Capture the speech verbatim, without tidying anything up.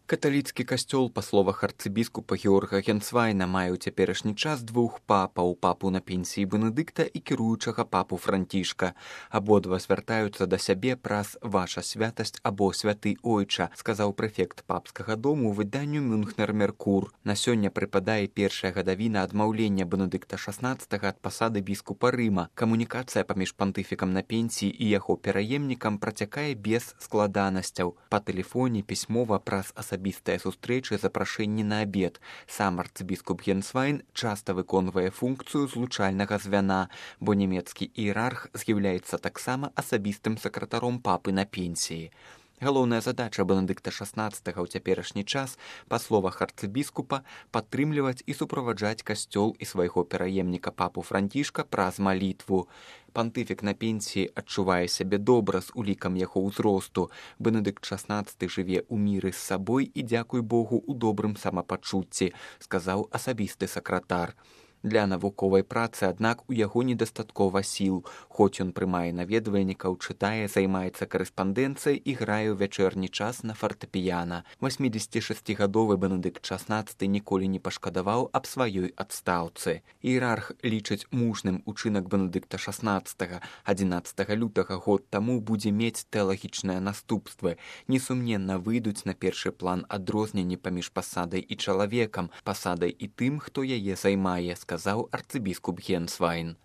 Каталіцкі касцёл, па словах арцыбіскупа Георга Генцвайна, мае ў цяперашні час двух папаў, папу на пенсіі Бенедыкта і кіруючага папу Францішка. Абодва звяртаюцца да сябе праз «Ваша святасць» або «Святы Ойча», сказаў прэфект папскага дому выданню «Мюнхнер Меркур». На сёння прыпадае першая гадавіна адмаўлення Бенедыкта шаснаццатага ад пасады біскупа Рыма. Камунікацыя паміж пантыфікам на пенсіі і яго пераемнікам працякае без складанасцяў. Па тэлефоне, пісьмова, праз асабістыя асабістыя сустрэчы, запрашэнні на абед. Сам арцыбіскуп Генцвайн часта выконвае функцыю злучальнага звяна, бо нямецкі іерарх з'яўляецца таксама асабістым сакратаром папы на пенсіі. Галоўная задача Бенедыкта шаснаццатага ў цяперашні час, па словах арцыбіскупа, падтрымліваць і суправаджаць касцёл і свайго пераемніка папу Францішка праз малітву. Пантыфік на пенсіі адчувае сябе добра з улікам яго ўзросту. Бенедыкт шаснаццаты жыве ў міры з сабой і, дзякуй Богу, у добрым самапачуцці, сказаў асабісты сакратар. Для навуковай працы, аднак, у яго недастаткова сіл. Хоць ён прымае наведвальнікаў, чытае, займаецца карэспандэнцыяй і грае ў вячэрні час на фартэпіяна. васьмідзесятышасцігадовы Бенедыкт шаснаццаты ніколі не пашкадаваў аб сваёй адстаўцы. Іерарх лічыць мужным учынак Бенедыкта шаснаццатага. адзінаццатага лютага год таму будзе мець тэалагічныя наступствы. Несумненна выйдуць на першы план адрозненні паміж пасадай і чалавекам, пасадай і тым, хто яе займае, сказаў арцыбіскуп Генцвайн.